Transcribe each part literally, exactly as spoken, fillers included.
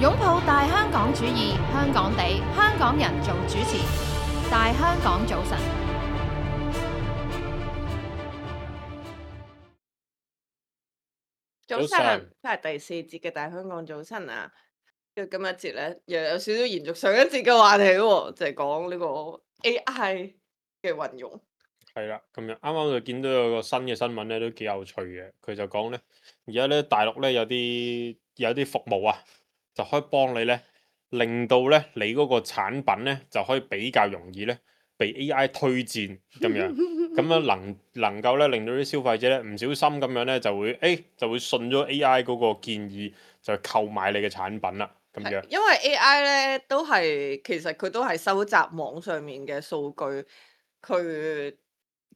擁抱大香港主義，香港地，香港人做主持。大香港早晨，早晨，翻嚟第四節嘅大香港早晨啊！跟住今一節咧，又有少少延續上一節嘅話題喎，就係講呢個 A I 嘅運用。係啦，咁樣啱啱就見到有個新嘅新聞咧，都幾有趣嘅。佢就講咧，而家咧大陸咧有啲有啲服務啊，就可以幫你咧，令到咧你嗰個產品咧就可以比較容易咧被 A I 推薦咁樣，咁樣能能夠咧令到啲消費者咧唔小心咁樣咧就會誒、欸、就會信咗 A I 嗰個建議，就購買你嘅產品啦，咁樣。因為 A I 咧都係其實佢都係收集網上面嘅數據，佢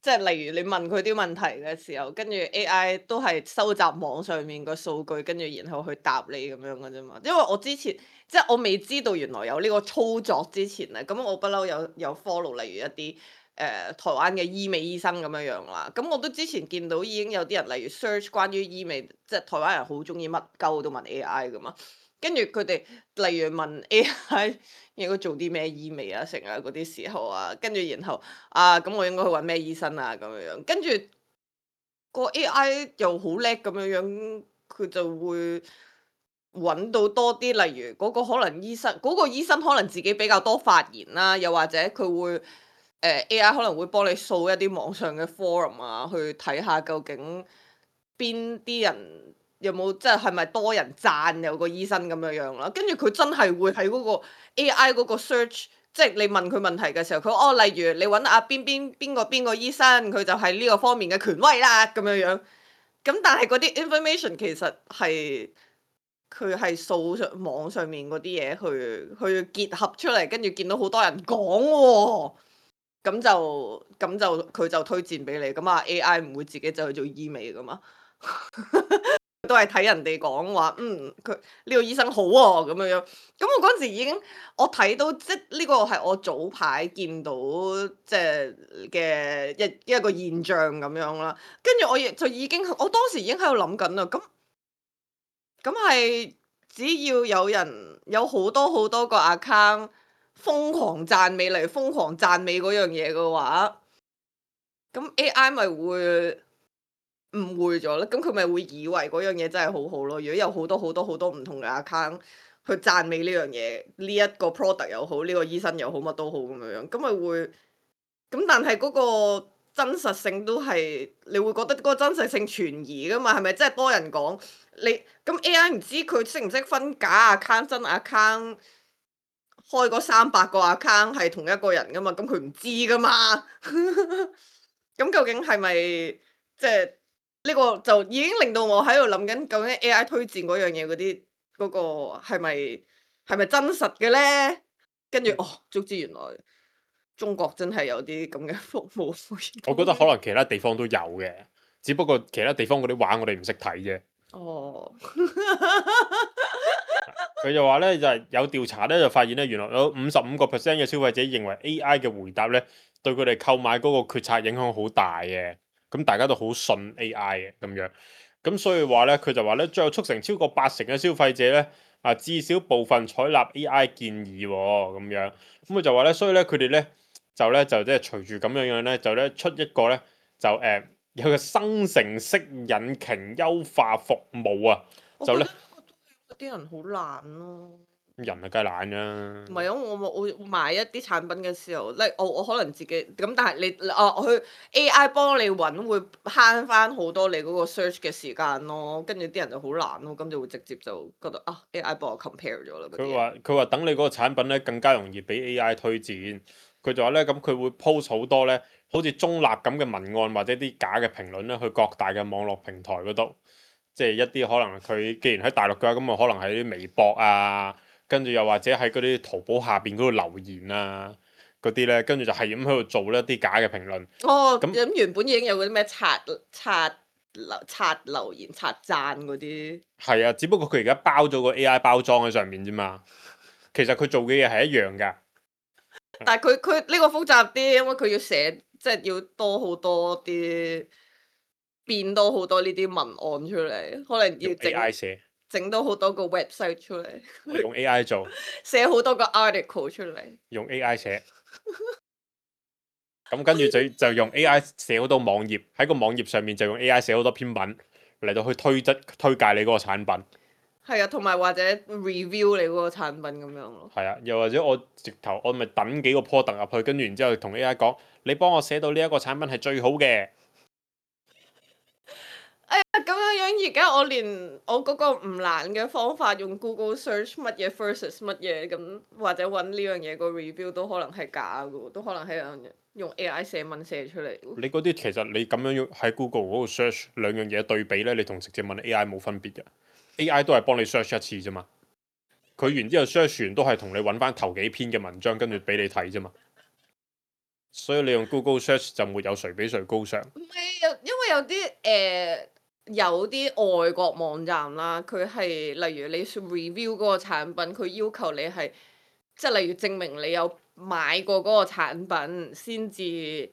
即係例如你問佢啲問題嘅時候，跟住 A I 都係收集網上面嘅數據，跟住然後去答你咁樣嘅啫嘛。因為我之前即係我未知道原來有呢個操作之前咧，咁我不嬲有有 follow 例如一啲誒、呃、台灣嘅醫美醫生咁樣樣啦。咁我都之前見到已經有啲人例如 search 關於醫美，即係台灣人好中意乜鳩都問 A I 噶嘛。跟住佢哋例如問 A I 應該做啲咩醫美啊，成啊嗰啲時候啊，跟住然後啊咁我應該去揾咩醫生啊咁樣樣，跟住個 A I 又好叻咁樣樣，佢就會揾到多啲，例如嗰個可能醫生嗰、個醫生可能自己比較多發言啦，又或者佢會誒、呃、A I 可能會幫你掃一啲網上嘅 forum 啊，去睇下究竟邊啲人。有冇即係係咪多人讚有個醫生咁樣樣啦？跟住佢真係會喺嗰個 A I 嗰個 search，即係你問佢問題嘅時候，佢哦，例如你揾阿邊邊邊個邊個醫生，佢就係呢個方面嘅權威啦咁樣樣。咁但係嗰啲 information 其實係佢係掃上網上面嗰啲嘢去去結合出嚟，跟住見到好多人講喎，咁就咁就佢就推薦俾你。咁啊 A I 唔會自己走去做醫美噶嘛。都係睇人哋講話，嗯，佢呢個醫生好喎咁樣樣。咁我嗰陣時已經我睇到，即呢個係我早排見到即係嘅一一個現象咁樣啦。跟住我亦就已經，我當時已經喺度諗緊啦。咁咁係只要有人有好多好多個 account 瘋狂讚美嚟，瘋狂讚美嗰樣嘢嘅話，咁 A I 咪會誤會咗咧，咁佢咪會以為嗰樣嘢真係好好咯。如果有好多好多好多唔同嘅 account 去讚美呢樣嘢，呢一個 product 又好，呢個醫生又好，乜都好咁樣樣，咁咪會咁，但係嗰個真實性都係你會覺得嗰個真實性存疑噶嘛？係咪真係多人講你咁 A I 唔知佢識唔識分假 account 真 account，開嗰三百個 account 係同一個人噶嘛？咁佢唔知噶嘛？咁究竟係咪即係？呢個就已經令到我喺度諗緊，究竟 A I 推薦嗰樣嘢嗰啲嗰個係咪係咪真實嘅咧？跟住哦，足知原來中國真係有啲咁嘅服務。我覺得可能其他地方都有嘅，只不過其他地方嗰啲畫我哋唔識睇啫。哦，佢就話咧，就係、有調查咧，就發現咧，原來有五十五個 percent 嘅消費者認為 A I 嘅回答咧，對佢哋購買嗰個決策影響好大嘅。咁大家都好信 A I 嘅咁樣，咁所以話咧，佢就話咧，最後促成超過八成嘅消費者咧，啊至少部分採納 A I 建議喎、哦，咁樣，咁佢就話咧，所以咧佢哋咧就咧就即係隨住咁樣樣咧，就咧出一個咧就誒、呃、有個生成式引擎優化服務啊，就咧嗰啲人好懶咯。人係梗係懶㗎。唔係啊，我我我買一啲產品嘅時候，咧我我可能自己咁，但係你啊，我去 A I 幫你揾會慳翻好多你嗰個 search 嘅時間咯，跟住啲人就好懶咯，咁就會直接就覺得啊 A I 幫我 compare 咗啦嗰啲嘢。佢話佢話等你嗰個產品咧更加容易俾 A I 推薦，佢就話咧咁佢會 post 好多咧好似中立咁嘅文案或者啲假嘅評論咧去各大嘅網絡平台嗰度，即係一啲可能佢既然喺大陸嘅話，咁啊可能喺啲微博啊，跟住又或者喺嗰啲淘寶下邊嗰度留言啊嗰啲咧，跟住就係咁喺度做一啲假嘅評論。哦，咁咁原本已經有嗰啲咩刷刷留刷留言刷讚嗰啲。係啊，只不過佢而家包咗個 A I 包裝喺上面啫嘛，其實佢做嘅嘢係一樣㗎。但係佢佢呢個複雜啲，因為佢要寫，即係要多好多啲變多好多呢啲文案出嚟，可能要用 A I 整寫。整到好多個 website 出嚟，我用 A I 做，寫好多個 article 出嚟。用 A I 寫。咁跟住就就用 A I 寫好多網頁，喺個網頁上面就用 A I 寫好多篇文嚟到去推質推介你嗰個產品。係啊，同埋或者 review 你嗰個產品咁樣咯。係啊，又或者我直頭我咪等幾個 product 入去，跟住然之後同 A I 講，你幫我寫到呢一個產品係最好嘅。哎呀，咁樣樣而家我連我嗰個唔難嘅方法，用 Google search 乜嘢 versus 乜嘢咁，或者揾呢樣嘢個 review 都可能係假嘅喎，都可能係用用 A I 寫文寫出嚟。你嗰啲其實你咁樣用喺 Google 嗰度 search 兩樣嘢對比咧，你同直接問 A I 冇分別嘅。A I 都係幫你 search 一次啫嘛，佢完之後 search 完都係同你揾翻頭幾篇嘅文章，跟住俾你睇啫嘛。所以你用 Google search 就沒有誰比誰高尚。唔係有，因為有啲誒、呃、有啲外國網站啦，佢係例如你 review 嗰個產品，佢要求你係即係例如證明你有買過嗰個產品先至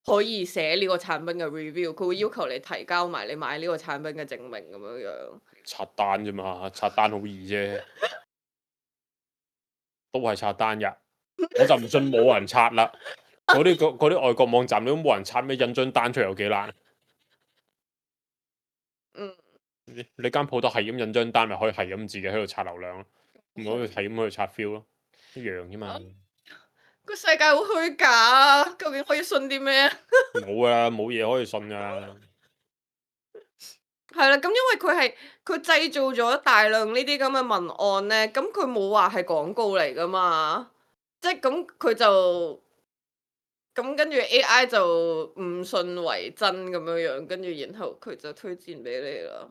可以寫呢個產品嘅 review，佢會要求你提交埋你買呢個產品嘅證明咁樣樣。刷單啫嘛，刷單好易啫，都係刷單㗎。我就唔信冇人刷啦。嗰啲嗰啲外國網站都冇人刷，咩印張單出嚟有幾難？嗯，你你間鋪頭係咁印張單，咪可以係咁自己喺度刷流量咯，唔可以係咁喺度刷 feel 咯，一樣啫嘛。個世界好虛假啊！究竟可以信啲咩啊？冇啊，冇嘢可以信㗎。係啦，咁因為佢係佢製造咗大量呢啲咁嘅文案咧，咁佢冇話係廣告嚟噶嘛，即係咁佢就咁跟住 A I 就唔信為真咁樣樣，跟住然後佢就推薦俾你啦。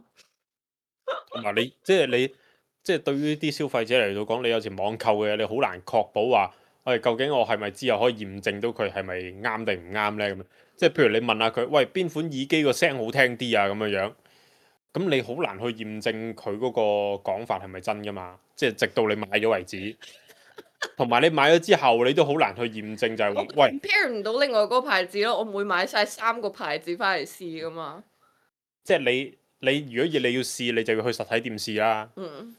同埋你即係你即係對於啲消費者嚟到講，你有時網購嘅嘢，你好難確保話，喂究竟我係咪之後可以驗證到佢係咪啱定唔啱咧？咁樣即係譬如你問下佢，喂邊款耳機個聲好聽啲啊？咁樣樣。咁你好難去驗證佢嗰個講法係咪真噶嘛？即係直到你買咗為止，同埋你買咗之後，你都好難去驗證就係、是、我喂 compare 唔到另外嗰個牌子咯，我唔會買晒三個牌子翻嚟試噶嘛。即係你你如果要你要試，你就要去實體店試啦。嗯。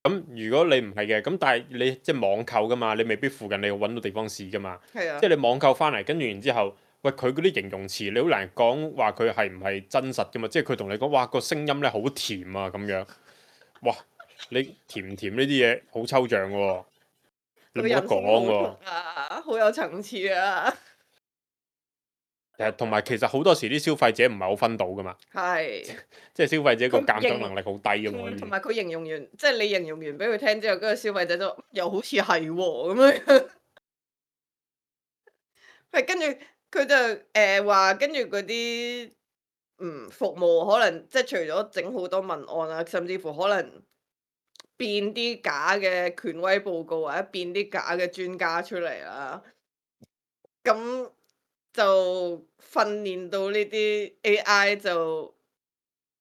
咁如果你唔係嘅，咁但係你即係網購噶嘛，你未必附近你要揾到地方試噶嘛。係啊。即係你網購翻嚟，跟住然之後。喂，佢嗰啲形容詞你好難講話佢係唔係真實噶嘛？即係佢同你講，哇個聲音咧好甜啊咁樣，哇你甜唔甜呢啲嘢好抽象喎，你冇得講喎。啊，好有層次啊！誒，同埋其實好多時啲消費者唔係好分到噶嘛，係，即係消費者個佢鑑賞形能力好低噶嘛。嗯同埋佢形容完，即係你形容完俾佢聽之後，嗰個消費者就又好似係喎咁樣。係跟住。佢就誒話，跟住嗰啲嗯服務可能即係除咗整好多文案啊，甚至乎可能變啲假嘅權威報告或者變啲假嘅專家出嚟啦，咁就訓練到呢啲 A I 就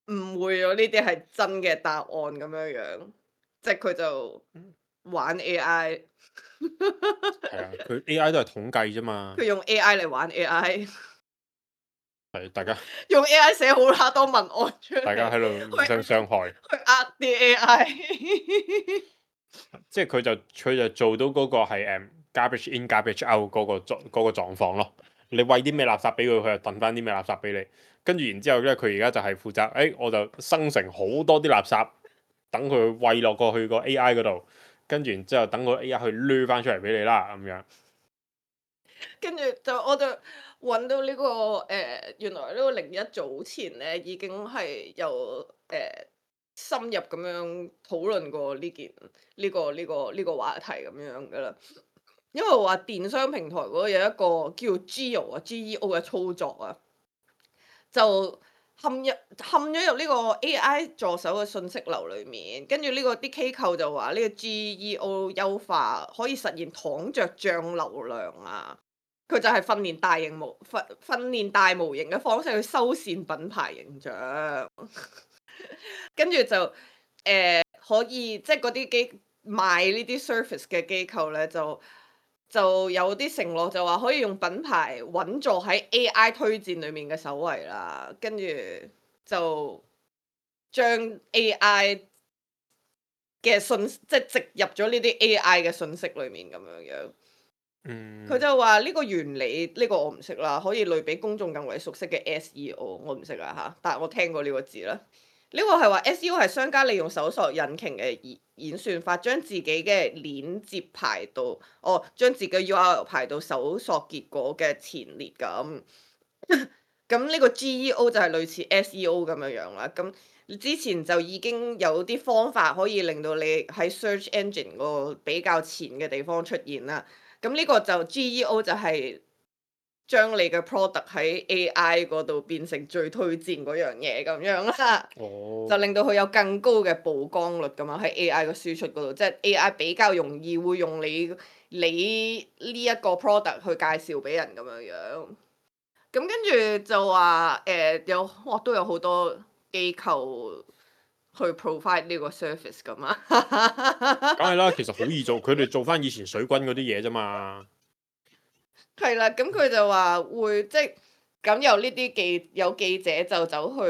誤會咗呢啲係真嘅答案咁樣樣，即係佢就玩 A I。係啊，佢 A I 都係統計啫嘛。佢用 A I 嚟玩 A I。係大家用 A I 寫好啦多文案出嚟，大家喺度互相傷害，去呃啲 A I。即係佢就佢就做到嗰個係誒 garbage in garbage out 嗰個狀嗰個狀況咯。你餵啲咩垃圾俾佢，佢就抌翻啲咩垃圾俾你。跟住然之後咧，佢而家就係負責，誒、哎、我就生成好多啲垃圾，等佢餵落過去個 A I 嗰度，跟住然之後等個 A I 去掠翻出嚟俾你啦，咁樣。跟住就我就揾到呢、這個誒、呃，原來呢個零一早前咧已經係有誒、呃、深入咁樣討論過呢件呢、這個呢、這個呢、這個話題咁樣噶啦。因為話電商平台嗰度有一個叫 Geo 啊 G E O 嘅操作啊，就陷入陷咗入呢個 A I 助手嘅信息流裡面，跟住呢個啲機構就話呢個 G E O 優化可以實現躺着漲流量啊。佢就係訓練大型模訓訓練大模型嘅方式去修繕品牌形象，跟住就誒、呃、可以即係嗰啲機賣呢啲 service 嘅機構咧，就就有啲承諾就話可以用品牌穩坐喺 A I 推薦裡面嘅首位啦，跟住就將 A I 嘅信，即係植入咗呢啲 A I 嘅信息裡面咁樣樣。嗯，佢就話呢個原理，呢、個我唔識啦，可以類比公眾更為熟悉嘅 S E O，我唔識啦嚇，但係我聽過呢個字啦。呢、個係話 S E O 係商家利用搜索引擎嘅演演算法，將自己嘅鏈接排到，哦，將自己嘅 U R L 排到搜索結果嘅前列咁。咁呢個 G E O 就係類似 S E O 咁樣樣啦。咁之前就已經有啲方法可以令到你喺 search engine 個比較前嘅地方出現啦。咁呢個就 G E O 就係將你嘅 product 喺 A I 嗰度變成最推薦嗰樣嘢咁樣啦，哦，就令到佢有更高嘅曝光率咁樣喺 A I 嘅輸出嗰度，即係 A I 比較容易會用你你呢一個 product 去介紹俾人咁樣樣。咁跟住就話誒、呃、有哇都有好多機構去 provide 呢個 service 噶嘛，梗係啦，其實好易做，佢哋做翻以前水軍嗰啲嘢啫嘛。係啦，咁佢就話會即係咁有呢啲記有記者就走去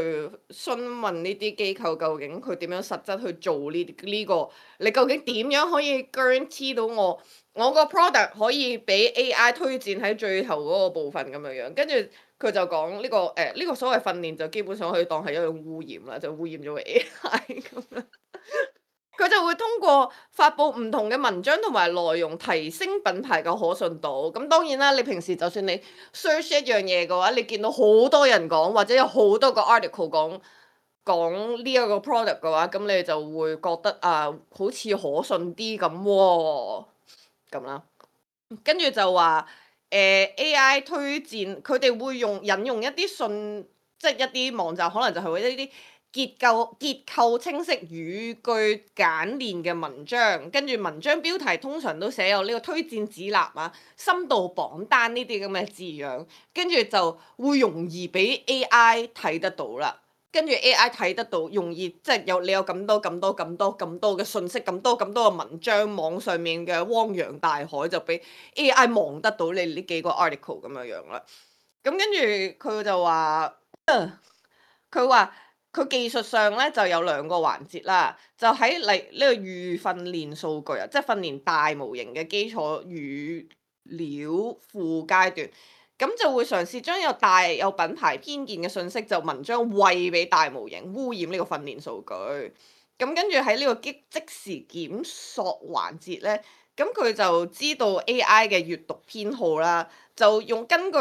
詢問呢啲機構究竟佢點樣實質去做呢呢個，你究竟點樣可以 guarantee 到我我個 product 可以俾 A I 推薦喺最後嗰個部分咁樣樣，跟住佢就講呢個誒呢個所謂訓練就基本上可以當係一種污染啦，就污染咗個 A I 咁樣。佢就會通過發布唔同嘅文章同埋內容，提升品牌嘅可信度。咁當然啦，你平時就算你 search 一樣嘢嘅話，你見到好多人講，或者有好多個 article 講講呢一個 product 嘅話，咁你就會覺得啊，好似可信啲咁喎，咁啦。跟住就話誒、呃、A I 推薦，佢哋會用引用一啲信，即係一啲網站，可能就係為一啲結構結構清晰、語句簡練嘅文章，跟住文章標題通常都寫有呢個推薦指南啊、深度榜單呢啲咁嘅字樣，跟住就會容易俾 A I 睇得到啦。跟住 A I 睇得到，容易即係有你有咁多咁多咁多咁多嘅信息，咁多咁多嘅文章，網上面嘅汪洋大海就俾 A I 望得到你呢幾個 article 咁樣樣啦。咁跟住佢就話，佢話佢技術上咧就有兩個環節啦，就喺嚟呢個預訓練數據啊，即係訓練大模型嘅基礎語料庫階段。咁就會嘗試將有大有品牌偏見嘅信息就文章餵俾大模型，污染呢個訓練數據。咁跟住喺呢個即即時檢索環節咧，咁佢就知道 A I 嘅閱讀偏好啦，就用根據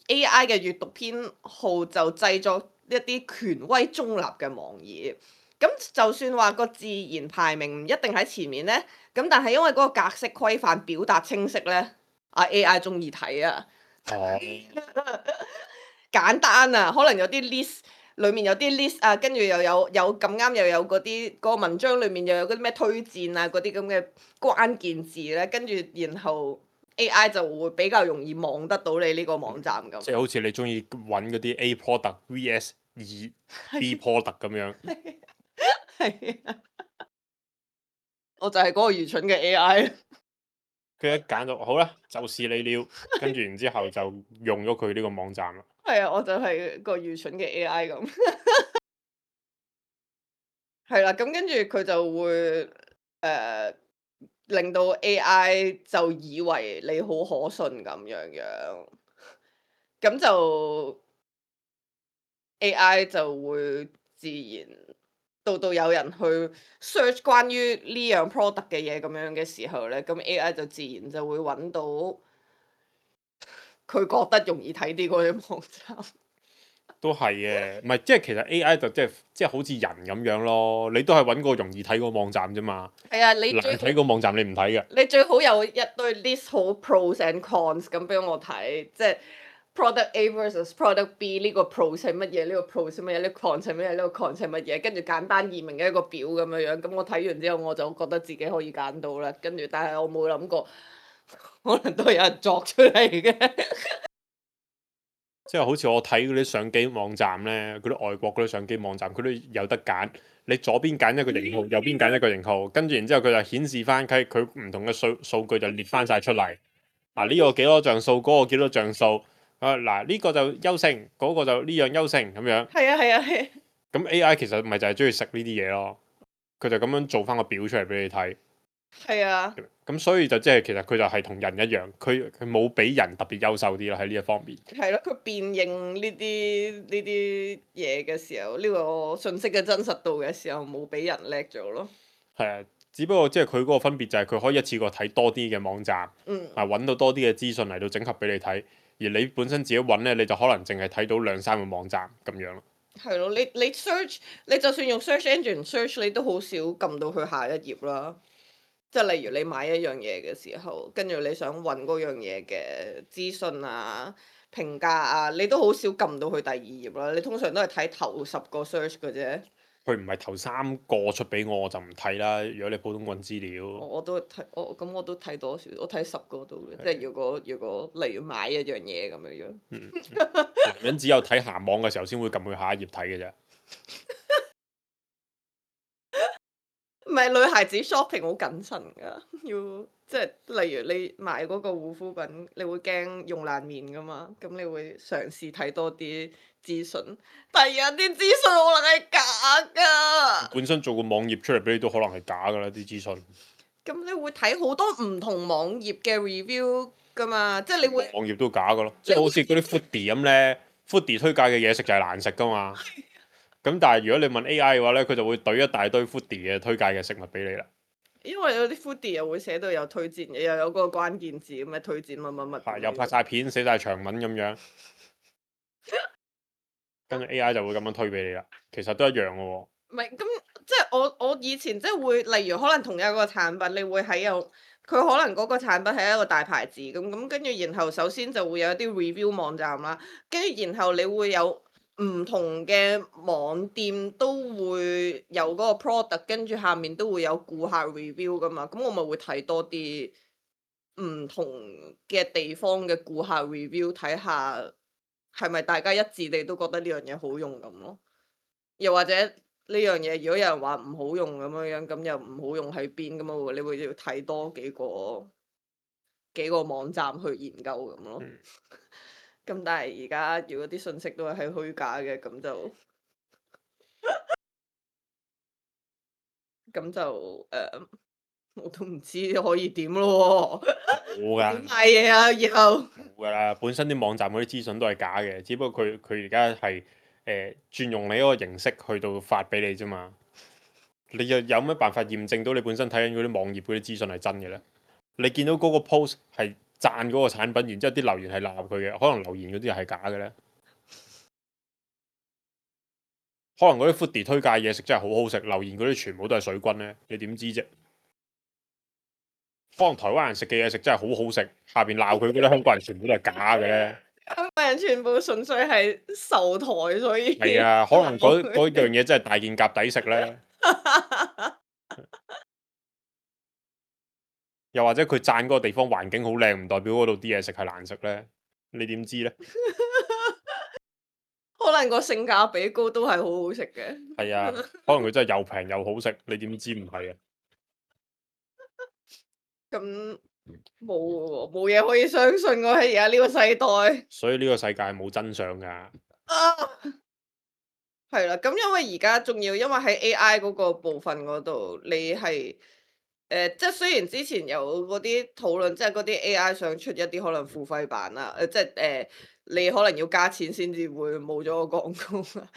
A I 嘅閱讀偏好就製作一啲權威中立嘅網頁。咁就算話個自然排名唔一定喺前面咧，咁但係因為嗰個格式規範表達清晰咧，啊 A I 中意睇啊。哦，簡單啊，可能有啲 list 裡面有啲 list 啊，跟住又有有咁啱又有嗰啲嗰個文章裡面又有嗰啲咩推薦啊嗰啲咁嘅關鍵字咧，跟住然後 A I 就會比較容易望得到你呢個網站咁。即係好似你中意揾嗰啲 A product V S 二 B product 咁樣。係啊，我就係嗰個愚蠢嘅 A I。佢一揀到好啦，就是你了，跟住然之後就用咗佢呢個網站啦。係啊，我就係個愚蠢嘅 A I 咁。係啦，咁跟住佢就會誒、呃、令到 A I 就以為你好可信咁樣樣，咁就 A I 就會自然到到有人去 search 關於呢樣 product 嘅嘢咁樣嘅時候咧，咁 A I 就自然就會揾到佢覺得容易睇啲嗰啲網站。都係嘅，唔係即係其實 A I 就即係即係好似人咁樣咯，你都係揾個容易睇個網站啫嘛。係啊，你難最睇個網站你唔睇嘅。你最好有一堆 list 好 pros and cons 咁俾我睇，即係 product A versus product B 呢個 pros 係乜嘢，呢個 pros 係乜嘢，呢個 cons 係乜嘢，呢個 cons 係乜嘢，跟住簡單易明嘅一個表咁樣樣。咁我睇完之後我就覺得自己可以揀到啦。跟住但係我冇諗過，可能都係有人作出嚟嘅。即係好似我睇嗰啲相機網站咧，嗰啲外國嗰啲相機網站，佢都有得揀。你左邊揀一個型號，右邊揀一個型號，跟住然之後佢就顯示翻佢佢唔同嘅數數據就列翻晒出嚟。啊呢、這個幾多像素，嗰、那個幾多像素。啊嗱呢、這個就優勝，嗰、那個就呢樣優勝咁樣。係啊係啊係。咁 A I 其實咪就係中意食呢啲嘢咯。佢就咁樣做翻個表出嚟俾你睇。係啊，咁所以就即係其實佢就係同人一樣，佢佢冇比人特別優秀啲啦喺呢一方面。係咯，佢辨認呢啲呢啲嘢嘅時候，呢、個信息嘅真實度嘅時候，冇比人叻咗咯。係啊，只不過即係佢嗰個分別就係佢可以一次過睇多啲嘅網站，嗯，啊揾到多啲嘅資訊嚟到整合俾你睇，而你本身自己揾咧，你就可能淨係睇到兩三個網站咁樣咯。係咯，你你 search，你就算用 search engine search，你都好少撳到去下一頁啦。即係例如你買一樣嘢嘅時候，跟住你想揾嗰樣嘢嘅資訊啊、評價啊，你都好少撳到去第二頁啦。你通常都係睇頭十個 search 嘅啫。佢唔係頭三個出俾我，我就唔睇啦。如果你普通揾資料，我我都睇，我咁我都睇多少，我睇十個都嘅。即係如果如果例如買一樣嘢咁樣樣，嗯，男人只有睇鹹網嘅時候先會撳去下一頁睇嘅啫。唔係女孩子 shopping 好謹慎㗎，要即係例如你買嗰個護膚品，你會驚用爛面㗎嘛，咁你會嘗試睇多啲資訊，但係有啲資訊可能係假㗎。本身做個網頁出嚟俾你都可能係假㗎啦啲資訊。咁你會睇好多唔同網頁嘅 review 㗎嘛，即係你會網頁都假㗎咯，即係好似嗰啲 foodie 咁咧，foodie 推介嘅嘢食就係難食㗎嘛。咁但係如果你問 A I 嘅話咧，佢就會懟一大堆 foodie 嘅推介嘅食物俾你啦。因為有啲 foodie 又會寫到有推薦嘅，又有嗰個關鍵字咁嘅推薦乜乜乜。係又拍晒片，寫晒長文咁樣，跟住 A I 就會咁樣推俾你啦。其實都一樣嘅喎。唔係咁，即係我我以前即係會，例如可能同一個產品，你會喺有佢可能嗰個產品係一個大牌子咁咁，跟住然後首先就會有一啲 review 網站啦，跟住然後你會有唔同嘅網店都會有嗰個 product，跟住下面都會有顧客 review 噶嘛，咁我咪會睇多啲唔同嘅地方嘅顧客 review，睇下係咪大家一致地都覺得呢樣嘢好用咁咯，又或者呢樣嘢如果有人話唔好用咁樣樣，咁又唔好用喺邊咁啊？你會要睇多幾個幾個網站去研究咁咯。嗯咁但係而家如果啲信息都係係虛假嘅，咁就咁就誒、呃，我都唔知可以點咯喎。冇㗎，點買嘢啊？以後冇㗎啦。本身啲網站嗰啲資訊都係假嘅，只不過佢佢而家係誒轉用你嗰個形式去到發俾你啫嘛。你又有咩辦法驗證到你本身睇緊嗰啲網頁嗰啲資訊係真嘅咧？你見到嗰個 post 係讚嗰個產品，然之後啲留言係鬧佢嘅，可能留言嗰啲係假嘅咧。可能嗰啲 foodie 推介嘢食真係好好食，留言嗰啲全部都係水軍咧，你點知啫？可能台灣人食嘅嘢食真係好好食，下邊鬧佢嗰啲香港人全部都係假嘅咧。香港人全部純粹係受台，所以係啊，可能嗰嗰樣嘢真係大件夾抵食咧。又或者佢讚嗰個地方環境好靚，唔代表嗰度啲嘢食係難食咧？你點知咧？可能個性價比高都係好好食嘅。係啊，可能佢真係又平又好食，你點知唔係啊？咁冇喎，冇嘢可以相信喎喺而家呢個世代。所以呢個世界係冇真相㗎。啊，係啦，咁因為而家仲要，因為喺 A I 嗰個部分嗰度，你係誒、呃，即係雖然之前有嗰啲討論，即係嗰啲 A I 想出一啲可能付費版啦，誒、呃，即係誒、呃，你可能要加錢先至會冇咗個廣告啊。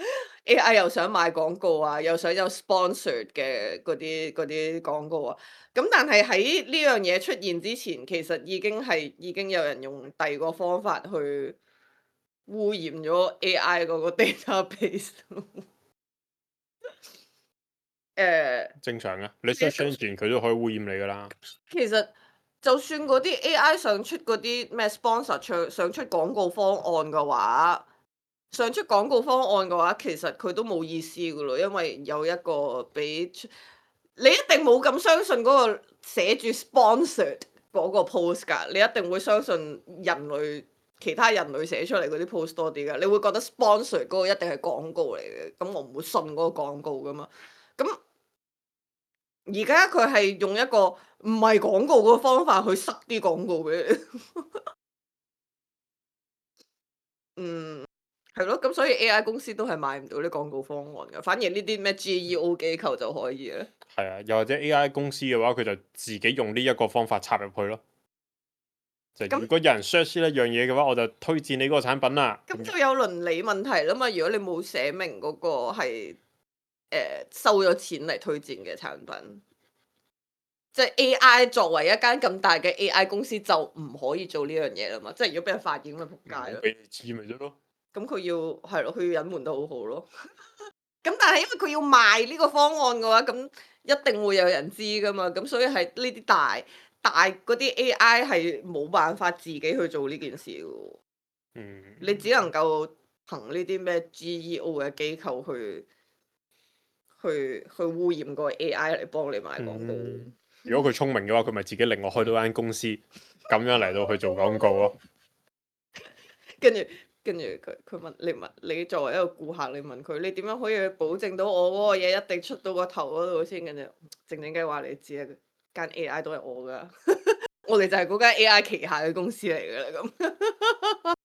A I 又想賣廣告啊，又想有 sponsor 嘅嗰啲嗰啲廣告啊。咁但係喺呢樣嘢出現之前，其實已經係已經有人用第二個方法去污染咗 A I 嗰個 database。誒，正常嘅，你 search engine 佢都可以污染你㗎啦。其實就算嗰啲 A I 想出嗰啲咩 sponsor 想想出廣告方案嘅話，想出廣告方案嘅話，其實佢都冇意思㗎咯，因為有一個俾出你一定冇咁相信嗰個寫住 sponsored 嗰個 post 㗎，你一定會相信人類其他人類寫出嚟嗰啲 post 多啲㗎，你會覺得 sponsored 嗰個一定係廣告嚟嘅，咁我唔會信嗰個廣告㗎嘛。咁而家佢係用一個唔係廣告嘅方法去塞啲廣告俾你。嗯，係咯，咁所以 A I 公司都係買唔到啲廣告方案嘅，反而呢啲咩 G E O 機構就可以咧。係啊，又或者 A I 公司嘅話，佢就自己用呢一個方法插入去咯。就咁如果有人 search 呢一樣嘢嘅話，我就推薦你嗰個產品啦。咁就有倫理問題啦嘛。如果你冇寫明嗰個係誒收咗錢嚟推薦嘅產品，即係 A I 作為一間咁大嘅 A I 公司就唔可以做呢樣嘢啦嘛。即係如果俾人發現咁咪仆街啦。唔好俾你知咪得咯。咁佢要係咯，佢要隱瞞得好好咯。咁但係因為佢要賣呢個方案嘅話，咁一定會有人知噶嘛。咁所以係呢啲大大嗰啲 A I 係冇辦法自己去做呢件事嘅喎。嗯，你只能夠憑呢啲咩 G E O 嘅機構去去去污染個 A I 嚟幫你賣廣告。嗯如果佢聰明嘅話，佢咪自己另外開到間公司，咁樣嚟到去做廣告咯。跟住跟住佢佢問你問你作為一個顧客，你問佢你點樣可以保證到我嗰個嘢一定出到個頭嗰度先？跟住靜靜雞話你知啊，間 A I 都係我噶，我哋就係嗰間 A I 旗下嘅公司嚟噶啦咁。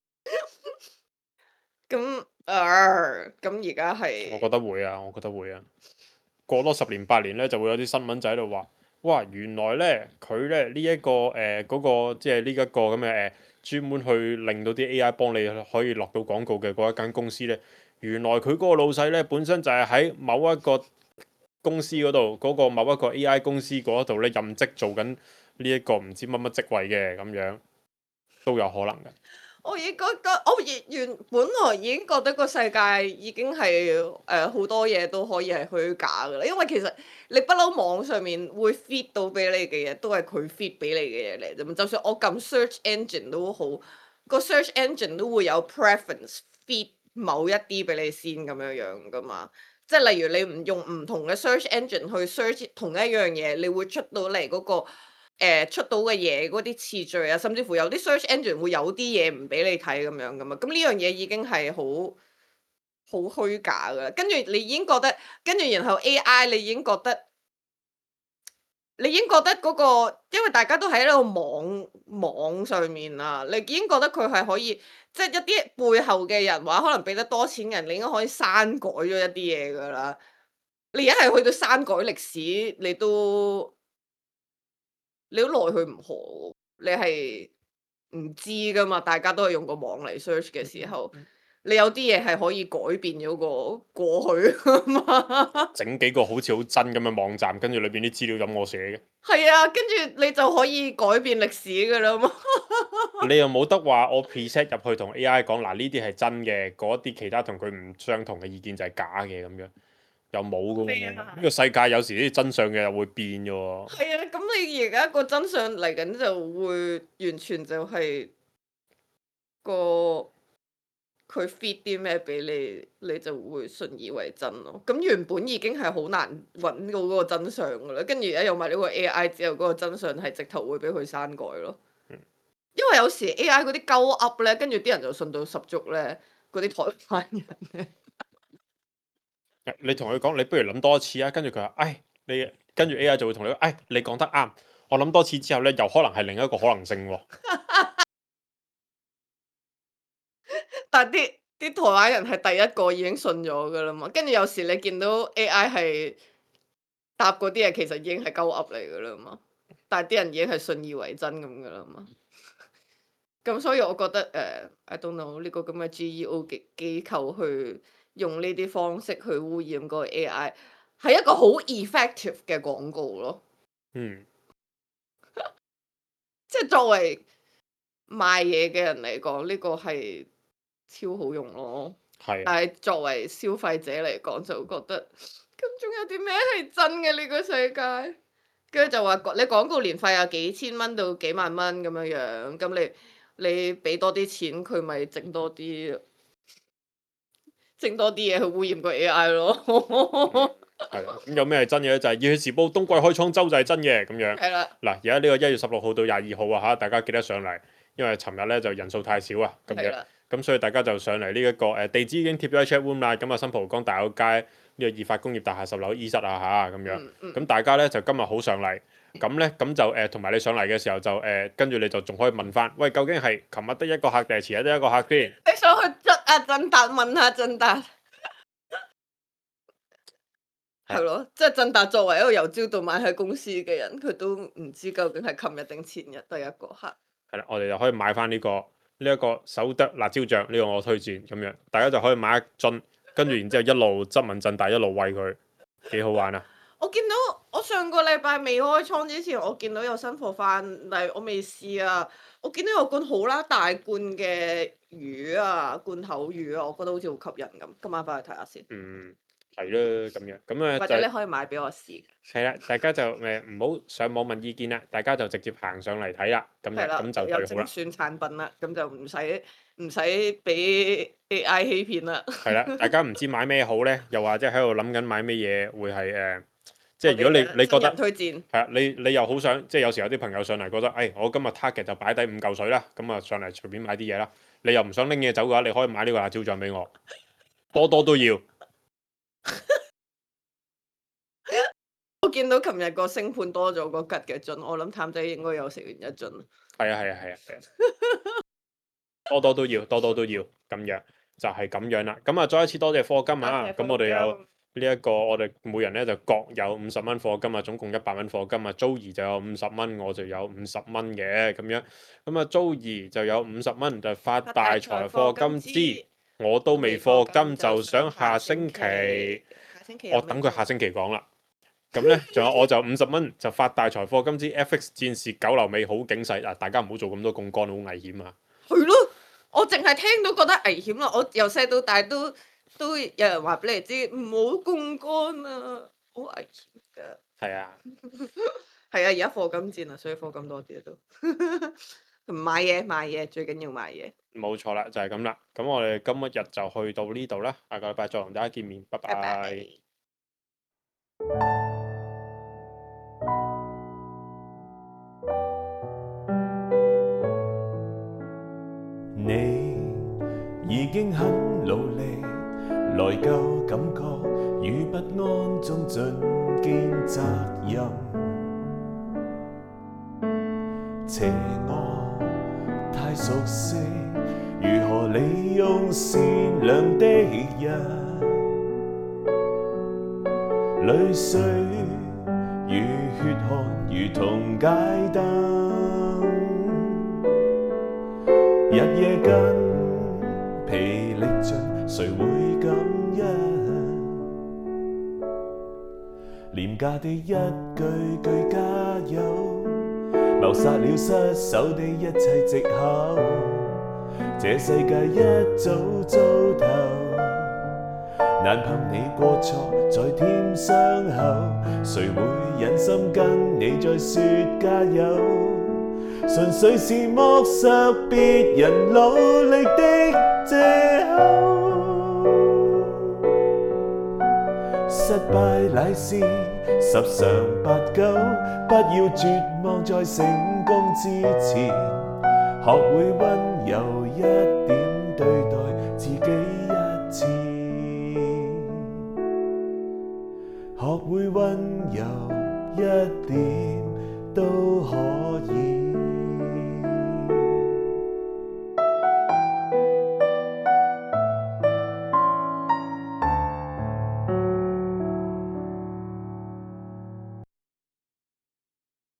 咁誒咁而家係我覺得會啊，我覺得會啊。過多十年八年咧，就會有啲新聞仔喺度話，哇，原來咧佢咧呢一個誒嗰個即係呢一個咁嘅誒專門去令到啲 A I 幫你可以落到廣告嘅嗰一間公司咧，原來佢嗰個老細咧本身就係喺某一個公司嗰度嗰個某一個 A I 公司嗰度咧任職做緊呢一個唔知乜乜職位嘅咁樣，都有可能嘅。我已經覺得，我原原本來已經覺得個世界已經係誒好多嘢都可以係虛假㗎啦，因為其實你不嬲網上面會 feed 到俾你嘅嘢，都係佢 feed 俾你嘅嘢嚟啫嘛。就算我撳 search engine 都好，個 search engine 都會有 preference feed 某一啲俾你先咁樣樣㗎嘛。即係例如你唔用唔同嘅 search engine 去 search 同一樣嘢，你會出到嚟嗰個。誒、呃、出到嘅嘢嗰啲次序啊，甚至乎有啲 search engine 會有啲嘢唔俾你睇咁樣噶嘛，咁呢樣嘢已經係好好虛假噶啦。跟住你已經覺得，跟住然後 A I 你已經覺得，你已經覺得嗰、嗰個，因為大家都喺呢個網網上面啊，你已經覺得佢係可以，即係一啲背後嘅人話可能俾得多錢人，你應該可以刪改咗一啲嘢噶啦。你而家係去到刪改歷史，你都。你都奈佢唔何，你係唔知噶嘛？大家都係用個網嚟 search 嘅時候，你有啲嘢係可以改變咗個過去噶嘛？整幾個好似好真咁嘅網站，跟住裏邊啲資料咁我寫嘅。係啊，跟住你就可以改變歷史噶啦嘛。你又冇得話我 preset 入去同 A I 講嗱，呢啲係真嘅，嗰啲其他同佢唔相同嘅意見就係假嘅咁樣，又冇噶喎。呢、啊、個世界有時啲真相嘅又會變嘅喎。係啊，咁你而家個真相嚟緊就會完全就係個佢 feed 啲咩俾你，你就會信以為真咯。咁原本已經係好難揾到嗰個真相噶啦，跟住而家有埋呢個 A I 之後，嗰個真相係直頭會俾佢刪改咯。因為有時 A I 嗰啲鳩噏咧，跟住啲人就信到十足咧，嗰啲台灣人咧。你同佢講，你不如諗多一次啊！跟住佢話，唉，你跟住 A I 就會同你講，唉，你講得啱。我諗多次之後咧，又可能係另一個可能性喎。但啲啲台灣人係第一個已經信咗噶啦嘛，跟住有時你見到 A I 係答嗰啲嘢，其實已經係鳩噏嚟噶啦嘛，但係啲人已經係信以為真咁噶啦嘛。咁所以我覺得誒、uh, ，I don't know 呢個咁嘅 G E O 嘅機構去用呢啲方式去污染嗰個 A I，係一個好 effective 嘅廣告咯。嗯，即係作為賣嘢嘅人嚟講，呢、這個係超好用咯。係。但係作為消費者嚟講，就覺得咁仲有啲咩係真嘅呢個世界？跟住就話你廣告年費有幾千蚊到幾萬蚊咁樣樣，咁你。你俾多啲錢，佢咪整多啲，整多啲嘢去污染個 A I 咯。係啦，咁有咩係真嘅咧？就係《熱血時報》冬季開倉周就係真嘅咁樣。係啦。嗱，而家呢個一月十六號到廿二號啊嚇，大家記得上嚟，因為尋日咧就人數太少啊，咁樣。咁所以大家就上嚟呢一個誒地址已經貼咗喺 chat room 啦。咁啊，新蒲崗大有街呢個易發工業大廈十樓 E 室啊嚇，咁樣。咁、嗯嗯、大家咧就今日好上嚟。咁咧，咁就誒，同、呃、埋你上嚟嘅時候就誒，跟、呃、住你就仲可以問翻，喂，究竟係琴日得一個客定係前日得一個客先？你想去質阿振達問下振達？係咯，即係振達作為一個由朝到晚喺公司嘅人，佢都唔知究竟係琴日定前日第一個客。係啦，我哋就可以買翻呢、個呢一、個手得辣椒醬，呢、個我推薦咁樣，大家就可以買一樽，跟住然之後一路質問振達，一路餵佢，幾好玩啊！我見到我上個禮拜未開倉之前，我見到有新貨翻，但係我未試啊。我見到有罐好啦大罐嘅魚啊，罐頭魚啊，我覺得好似好吸引咁。今晚翻去睇下先，嗯，係啦，咁樣咁啊或就者你可以買俾我試。係啦，大家就誒唔好上網問意見啦，大家就直接行上嚟睇啦，咁係啦，樣咁就有最好啦。精選產品啦，咁就唔使唔使俾 A I 欺騙啦。係啦，大家唔知買咩好咧，又或者喺度諗緊買咩嘢會係誒、呃即係如果你你覺新人得推薦係啊，你你又好想，即係有時有啲朋友上嚟覺得，誒、哎，我今日 target 就擺低五嚿水啦，咁啊上嚟隨便買啲嘢啦。你又唔想拎嘢走嘅話，你可以買呢個辣椒醬俾我，多多都要。我見到琴日個星盤多咗個吉嘅樽，我諗譚仔應該有食完一樽。係啊係啊係啊係啊，多多都要，多多都要，咁樣就係、是、咁樣啦。咁啊，再一次多謝課金啊！咁我哋有。呢一個我哋每人咧就各有五十蚊課金啊，總共一百蚊課金啊。Joey 就有五十蚊，我就有五十蚊嘅咁樣。咁啊，Joey就有五十蚊就發大財課金之，我都未課金就想下星期，下星期我等佢下星期講啦。咁咧，仲有我就五十蚊就發大財課金之 F X 戰士九流尾好警世啊！大家唔好做咁多槓桿，好危險啊！係咯，我淨係聽到覺得危險啦。我由細到大都。都有人話俾你知唔好槓桿啊，好危險㗎。係啊，係啊，而家課金戰啊，所以課金多啲都。買嘢買嘢，最緊要買嘢。冇錯啦，就係咁啦。咁我哋今日就去到呢度啦，下個禮拜再同大家見面，拜拜。拜拜。你已經很努力。內疚感覺與不安中盡肩責任，邪惡太熟悉，如何利用善良的人，淚水與血汗如同街燈，日夜筋疲力盡，誰會感恩？廉價的一句句加油，謀殺了失手的一切藉口。這世界一早糟透，難憑你過錯再添傷口。誰會忍心跟你再說加油？純粹是剝削別人努力的藉口。失敗乃是十常八九，不要絕望在成功之前，學會溫柔一點對待自己一次，學會溫柔一點。